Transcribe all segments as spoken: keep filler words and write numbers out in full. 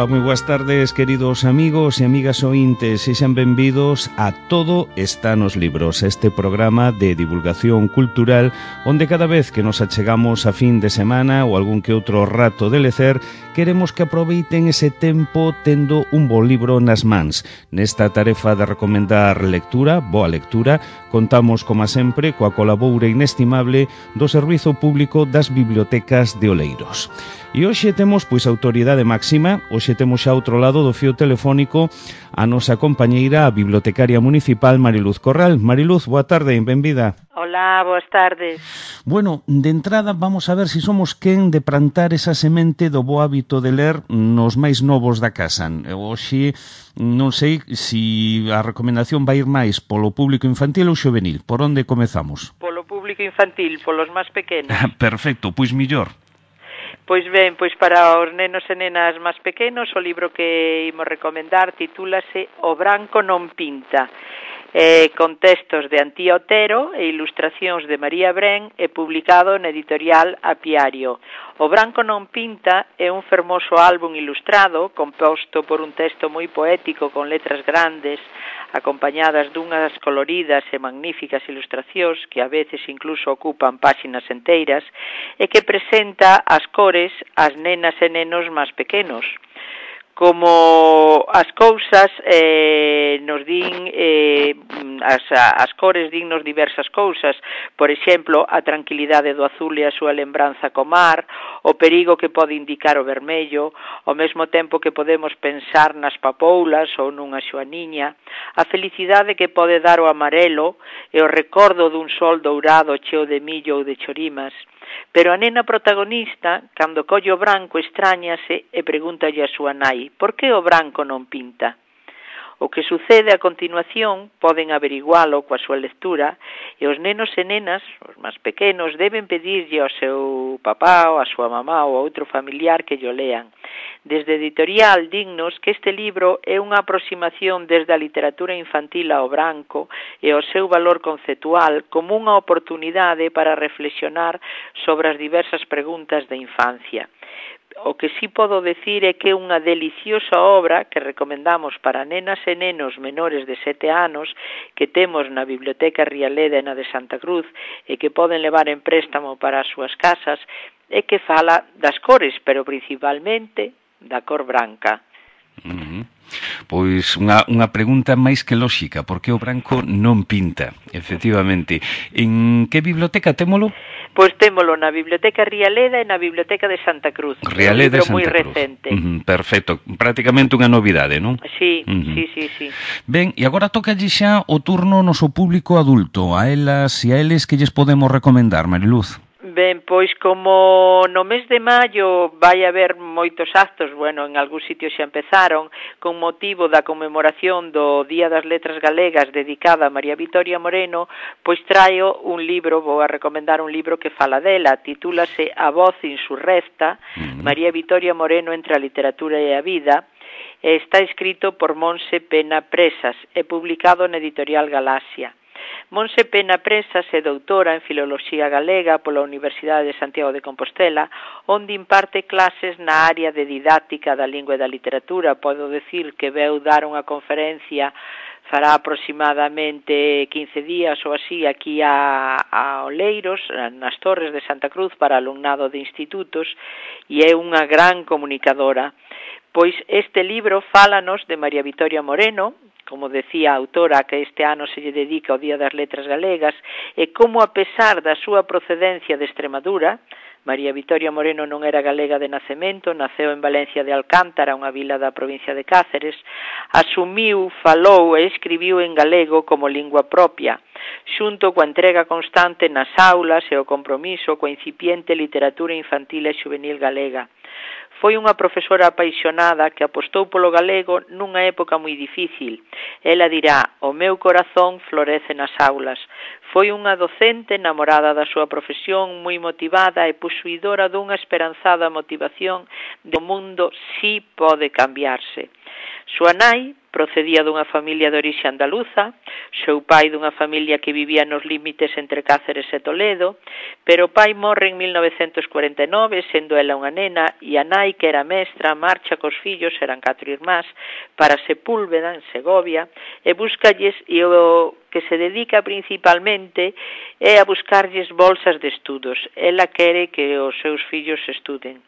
Ola, moi boas tardes, queridos amigos e amigas ointes, sexan benvidos a Todo está nos libros, este programa de divulgación cultural onde cada vez que nos achegamos a fin de semana ou algún que outro rato de lecer, queremos que aproveiten ese tempo tendo un bo libro nas mans. Nesta tarefa de recomendar lectura, boa lectura, contamos, como sempre, coa colaboura inestimable do Servizo Público das Bibliotecas de Oleiros. E hoxe temos, pois, autoridade máxima, hoxe temos xa outro lado do fío telefónico a nosa compañeira, a bibliotecaria municipal Mariluz Corral. Mariluz, boa tarde e benvida. Hola, boas tardes. Bueno, de entrada vamos a ver se si somos quen de plantar esa semente do bo hábito de ler nos máis novos da casa. Hoxe non sei se a recomendación vai ir máis polo público infantil ou juvenil. Por onde comezamos? Polo público infantil, polos máis pequenos. Perfecto, pois millor. Pois ben, pois para os nenos e nenas máis pequenos, o libro que imos recomendar titúlase O branco non pinta. Eh, con textos de Antía Otero e ilustracións de María Bren e publicado na editorial Apiario. O branco non pinta é un fermoso álbum ilustrado composto por un texto moi poético con letras grandes acompañadas dunhas coloridas e magníficas ilustracións que a veces incluso ocupan páxinas enteiras e que presenta as cores ás nenas e nenos máis pequenos. Como as cousas eh, nos din, eh, as, as cores dinnos diversas cousas, por exemplo, a tranquilidade do azul e a súa lembranza co mar, o perigo que pode indicar o vermello, ao mesmo tempo que podemos pensar nas papoulas ou nunha xoaniña, a felicidade que pode dar o amarelo e o recordo dun sol dourado cheo de millo ou de chorimas. Pero a nena protagonista, cando colle o branco, extrañase e pregúntalle a súa nai: por que o branco non pinta? O que sucede a continuación poden averigualo coa súa lectura e os nenos e nenas, os máis pequenos, deben pedirlle ao seu papá ou a súa mamá ou a outro familiar que llo lean. Desde Editorial dignos que este libro é unha aproximación desde a literatura infantil ao branco e ao seu valor conceptual como unha oportunidade para reflexionar sobre as diversas preguntas da infancia. O que sí podo decir é que é unha deliciosa obra que recomendamos para nenas e nenos menores de sete anos que temos na Biblioteca Rialeda e na de Santa Cruz e que poden levar en préstamo para as súas casas e que fala das cores, pero principalmente da cor branca. Uh-huh. Pois unha, unha pregunta máis que lóxica, porque o branco non pinta, efectivamente. En que biblioteca témolo? Pois témolo na Biblioteca Rialeda e na Biblioteca de Santa Cruz. Rialeda e Santa moi Cruz. Recente. Uh-huh, perfecto, prácticamente unha novidade, non? Sí, uh-huh. sí, sí, sí. Ben, e agora tocalle xa o turno ao noso público adulto, a elas e a eles que lles podemos recomendar, Mariluz. Ben, pois como no mes de maio vai haber moitos actos, bueno, en algún sitio xa empezaron, con motivo da conmemoración do Día das Letras Galegas dedicada a María Vitoria Moreno, pois traio un libro, vou a recomendar un libro que fala dela, titúlase A voz insurrecta, uh-huh. María Vitoria Moreno entre a literatura e a vida, e está escrito por Monse Pena Presas e publicado na editorial Galaxia. Monse Pena Presas é doutora en Filoloxía Galega pola Universidade de Santiago de Compostela, onde imparte clases na área de didáctica da lingua e da literatura. Podo decir que veu dar unha conferencia fará aproximadamente quince días ou así aquí a, a Oleiros, nas Torres de Santa Cruz, para alumnado de institutos, e é unha gran comunicadora. Pois este libro fálanos de María Vitoria Moreno, como decía a autora, que este ano se lle dedica ao Día das Letras Galegas, e como a pesar da súa procedencia de Extremadura, María Vitoria Moreno non era galega de nacemento, naceu en Valencia de Alcántara, unha vila da provincia de Cáceres, asumiu, falou e escribiu en galego como lingua propia, xunto coa entrega constante nas aulas e o compromiso coa incipiente literatura infantil e juvenil galega. Foi unha profesora apaixonada que apostou polo galego nunha época moi difícil. Ela dirá: o meu corazón florece nas aulas. Foi unha docente enamorada da súa profesión, moi motivada e posuidora dunha esperanzada motivación do mundo si pode cambiarse. Súa nai procedía dunha familia de orixe andaluza, seu pai dunha familia que vivía nos límites entre Cáceres e Toledo, pero o pai morre en mil novecentos cuarenta e nove, sendo ela unha nena, e a nai, que era mestra, marcha cos fillos, eran catro irmás, para Sepúlveda, en Segovia, e búscalles, e o que se dedica principalmente é a buscarlles bolsas de estudos. Ela quere que os seus fillos estuden.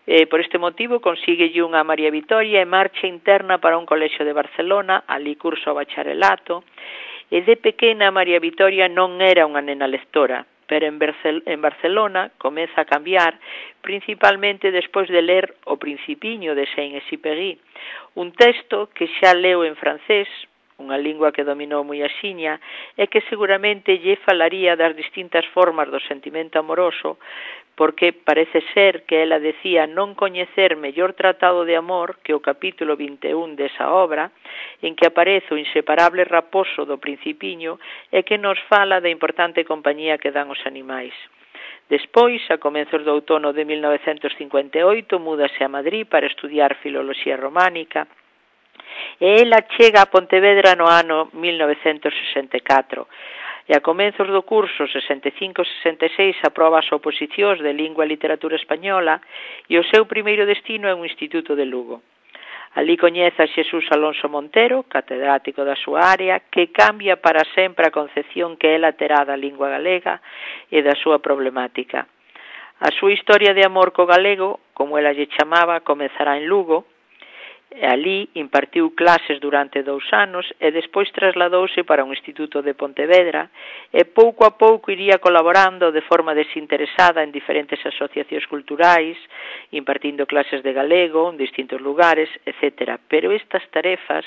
Eh, por este motivo consíguelle unha María Vitoria e marcha interna para un colexio de Barcelona, ali curso o bacharelato, e de pequena María Vitoria non era unha nena lectora, pero en, Barcel en Barcelona comeza a cambiar, principalmente despois de ler O Principiño de Saint-Exupéry, un texto que xa leu en francés, unha lingua que dominou moi axiña, e que seguramente lle falaría das distintas formas do sentimento amoroso, porque parece ser que ela decía non coñecer mellor tratado de amor que o capítulo vinte e un desa obra, en que aparece o inseparable raposo do Principiño e que nos fala da importante compañía que dan os animais. Despois, a comezos do outono de mil novecentos cincuenta e oito, múdase a Madrid para estudiar filoloxía románica, e ela chega a Pontevedra no ano mil novecentos sesenta e catro, e a comenzos do curso sesenta e cinco sesenta e seis aproba as oposicións de Lingua e Literatura Española e o seu primeiro destino é un instituto de Lugo. Ali coñece a Xesús Alonso Montero, catedrático da súa área, que cambia para sempre a concepción que ela terá da lingua galega e da súa problemática. A súa historia de amor co galego, como ela lle chamaba, comezará en Lugo. Ali impartiu clases durante dous anos e despois trasladouse para un instituto de Pontevedra e pouco a pouco iría colaborando de forma desinteresada en diferentes asociacións culturais, impartindo clases de galego en distintos lugares, etcétera. Pero estas tarefas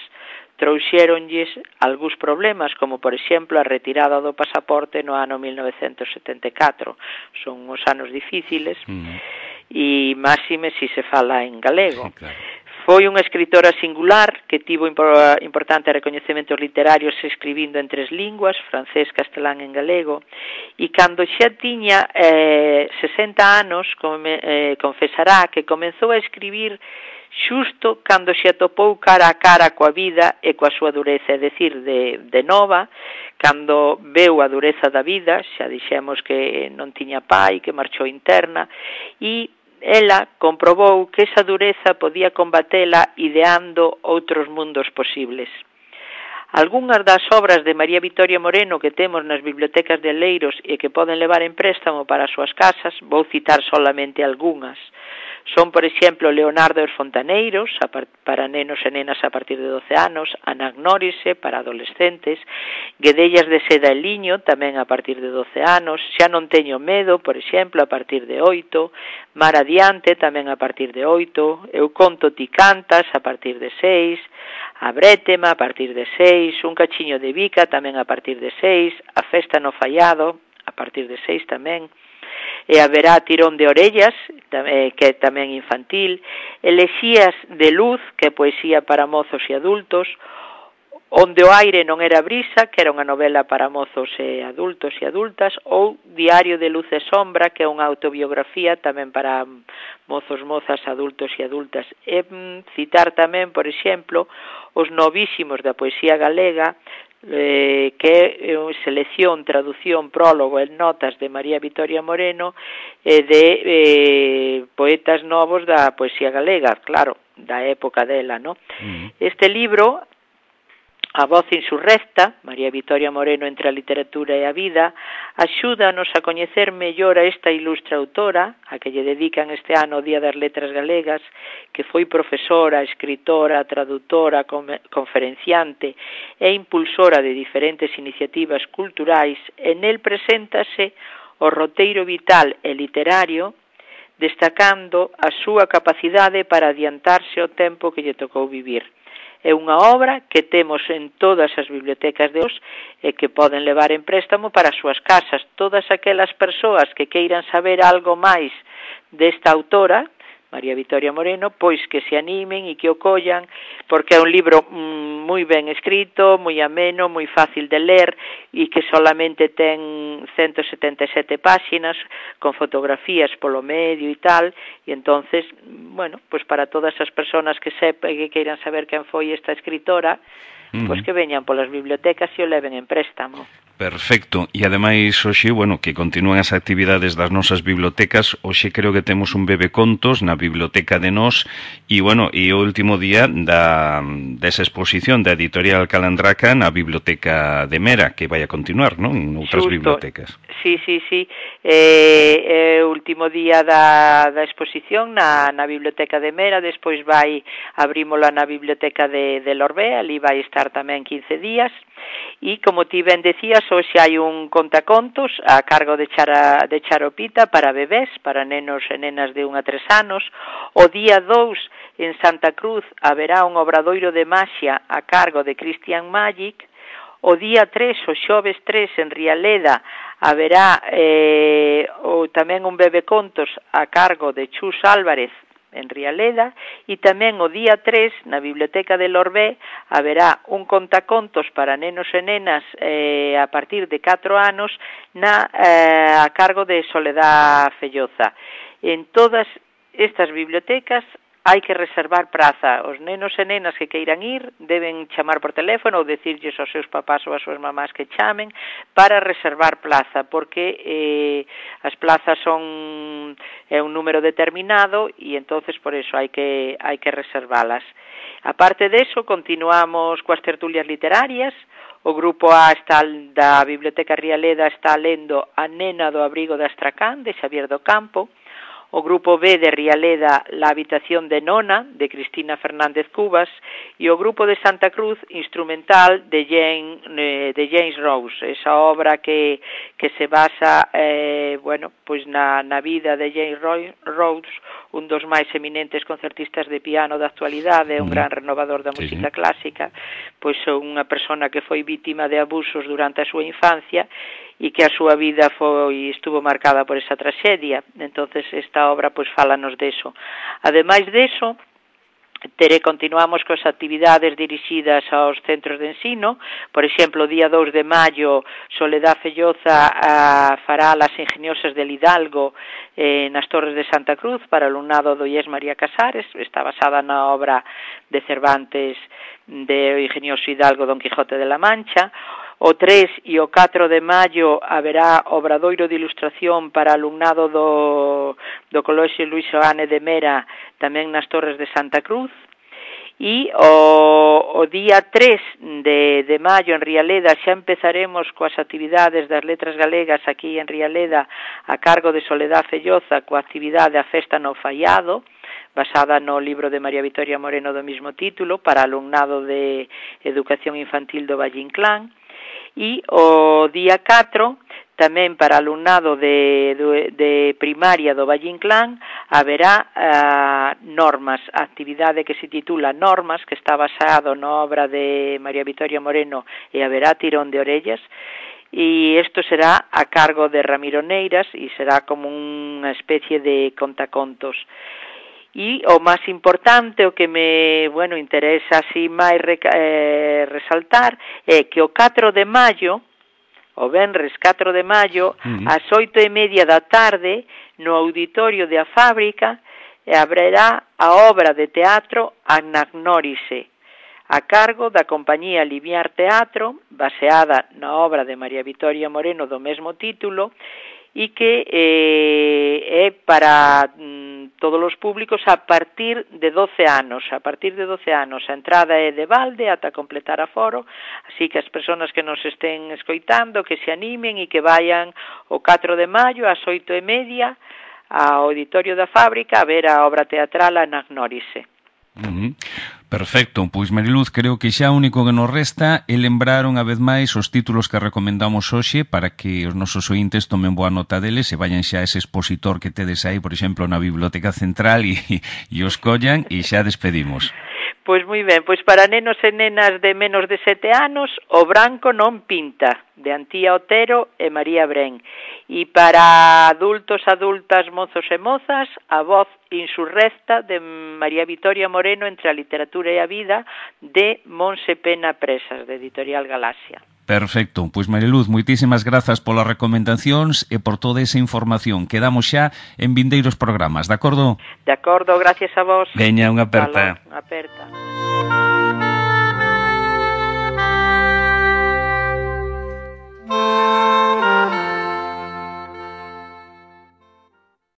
trouxéronlles algúns problemas, como por exemplo a retirada do pasaporte no ano mil novecentos setenta e catro. Son uns anos difíciles mm. e máxime se se fala en galego. Sí, claro. Foi unha escritora singular que tivo importantes recoñecementos literarios escribindo en tres linguas, francés, castelán e galego, e cando xa tiña eh, sesenta anos, come, eh, confesará que comezou a escribir xusto cando se atopou cara a cara coa vida e coa súa dureza, é dicir, de, de nova, cando veu a dureza da vida, xa dixemos que non tiña pai, que marchou interna, e ela comprobou que esa dureza podía combatela ideando outros mundos posibles. Algúnas das obras de María Vitoria Moreno que temos nas bibliotecas de Oleiros e que poden levar en préstamo para as súas casas, vou citar solamente algunhas. Son, por exemplo, Leonardo e os Fontaneiros, para nenos e nenas a partir de doce anos, Anagnórise, para adolescentes, Guedellas de seda e liño, tamén a partir de doce anos, Xa non teño medo, por exemplo, a partir de oito, Mar adiante, tamén a partir de oito, Eu conto ti cantas, a partir de seis, A brétema, a partir de seis, Un cachiño de bica, tamén a partir de seis, A festa no fallado, a partir de seis tamén, e haberá Tirón de orellas, que é tamén infantil, Elexías de luz, que é poesía para mozos e adultos, Onde o aire non era brisa, que era unha novela para mozos e adultos e adultas, ou Diario de luz e sombra, que é unha autobiografía tamén para mozos, mozas, adultos e adultas. E citar tamén, por exemplo, Os novísimos da poesía galega, eh, que é selección, traducción, prólogo e notas de María Vitoria Moreno e de eh, poetas novos da poesía galega, claro, da época dela, ¿no? Mm. Este libro, A voz insurrecta, María Vitoria Moreno entre a literatura e a vida, axúdanos a coñecer mellor a esta ilustre autora, a que lle dedican este ano o Día das Letras Galegas, que foi profesora, escritora, traductora, conferenciante e impulsora de diferentes iniciativas culturais, e nel preséntase o roteiro vital e literario, destacando a súa capacidade para adiantarse ao tempo que lle tocou vivir. É unha obra que temos en todas as bibliotecas de hoxe e que poden levar en préstamo para as súas casas. Todas aquelas persoas que queiran saber algo máis desta autora María Victoria Moreno, pois que se animen e que o collan, porque é un libro mm, moi ben escrito, moi ameno, moi fácil de ler e que solamente ten ciento setenta e sete páxinas con fotografías polo medio e tal, e entonces, bueno, pois para todas as persoas que sepan que queiran saber quen foi esta escritora, uh-huh. pois que veñan polas bibliotecas e o leven en préstamo. Perfecto, e ademais hoxe, bueno, que continúan as actividades das nosas bibliotecas, hoxe creo que temos un bebecontos na biblioteca de Nós e, bueno, e o último día da desa exposición da editorial Calandraca na biblioteca de Mera, que vai a continuar, non? En outras Xusto. bibliotecas. Sí, sí, sí, é eh, o último día da, da exposición na, na biblioteca de Mera, despois vai abrímola na biblioteca de, de Lorbé, ali vai estar tamén quince días, e como ti ben decías, hoxe hai un contacontos a cargo de, Chara, de Charopita para bebés, para nenos e nenas de un a tres anos. O día dous en Santa Cruz haberá un obradoiro de maxia a cargo de Christian Magic. O día tres, o xoves tres, en Rialeda haberá eh, o, tamén un bebecontos a cargo de Chus Álvarez en Rialeda, e tamén o día tres na Biblioteca de Lorbé haberá un contacontos para nenos e nenas eh, a partir de catro anos na, eh, a cargo de Soledad Felloza. En todas estas bibliotecas hai que reservar praza. Os nenos e nenas que queiran ir deben chamar por teléfono ou decirlles aos seus papás ou ás súas mamás que chamen para reservar plaza, porque eh, as plazas son é un número determinado e entonces por eso hai que hai que reservalas. Aparte de eso, continuamos coas tertulias literarias. O grupo A está da Biblioteca Rialeda está lendo A nena do abrigo de Astracán, de Xavier do Campo. O grupo B de Rialeda, La habitación de Nona, de Cristina Fernández Cubas, e o grupo de Santa Cruz, Instrumental, de, Jane, eh, de James Rose, esa obra que, que se basa eh, bueno, pois na, na vida de James Rose, un dos máis eminentes concertistas de piano da actualidade, un gran renovador da música sí, clásica, pois unha persona que foi vítima de abusos durante a súa infancia e que a súa vida foi estuvo marcada por esa traxedia. Entonces esta obra pois fálanos deso. Ademais deso, Tere, continuamos coas actividades dirixidas aos centros de ensino. Por exemplo, o día dous de maio, Soledad Felloza a, fará Las ingeniosas del Hidalgo eh, nas Torres de Santa Cruz para o alumnado do I E S María Casares. Está basada na obra de Cervantes de O ingenioso Hidalgo Don Quijote de la Mancha. O tres e o catro de maio haberá obradoiro de ilustración para alumnado do, do Colexio Luís Oane de Mera, tamén nas Torres de Santa Cruz. E o, o día tres de, de maio en Rialeda xa empezaremos coas actividades das letras galegas aquí en Rialeda a cargo de Soledad Felloza, coa actividade A Festa no Faiado, basada no libro de María Victoria Moreno do mismo título, para alumnado de Educación Infantil do Valle Inclán. E o día catro, tamén para alumnado de, de, de primaria do Valle Inclán, haberá uh, normas, a actividade que se titula Normas, que está basado na obra de María Victoria Moreno, e haberá tirón de orellas, e isto será a cargo de Ramiro Neiras e será como unha especie de contacontos. E o máis importante, o que me, bueno, interesa así máis eh, resaltar, é que o catro de maio, o venres catro de maio, uh-huh. ás oito e media da tarde, no auditorio de A Fábrica, haberá a obra de teatro Anagnórise, a cargo da compañía Limiar Teatro, baseada na obra de María Victoria Moreno do mesmo título, e que eh, é para mm, todos os públicos a partir de doce anos. A partir de doce anos a entrada é de balde ata completar aforo, así que as persoas que nos estén escoitando que se animen e que vayan o catro de maio ás oito e media ao auditorio da Fábrica a ver a obra teatral Anagnórise. Uh-huh. Perfecto, pois Mariluz, creo que xa o único que nos resta é lembrar unha vez máis os títulos que recomendamos hoxe para que os nosos ointes tomen boa nota deles e vayan xa a ese expositor que tedes aí, por exemplo, na Biblioteca Central e, e os collan e xa despedimos. Pois moi ben, pois para nenos e nenas de menos de sete anos, O branco non pinta, de Antía Otero e María Bren. E para adultos, adultas, mozos e mozas, A voz insurrecta, de María Vitoria Moreno, Entre a literatura e a vida, de Monse Pena Presas, de Editorial Galaxia. Perfecto, pois Mariluz, moitísimas grazas polas recomendacións e por toda esa información. Quedamos xa en vindeiros programas, de acordo? De acordo, gracias a vos. Veña, unha aperta. Unha aperta.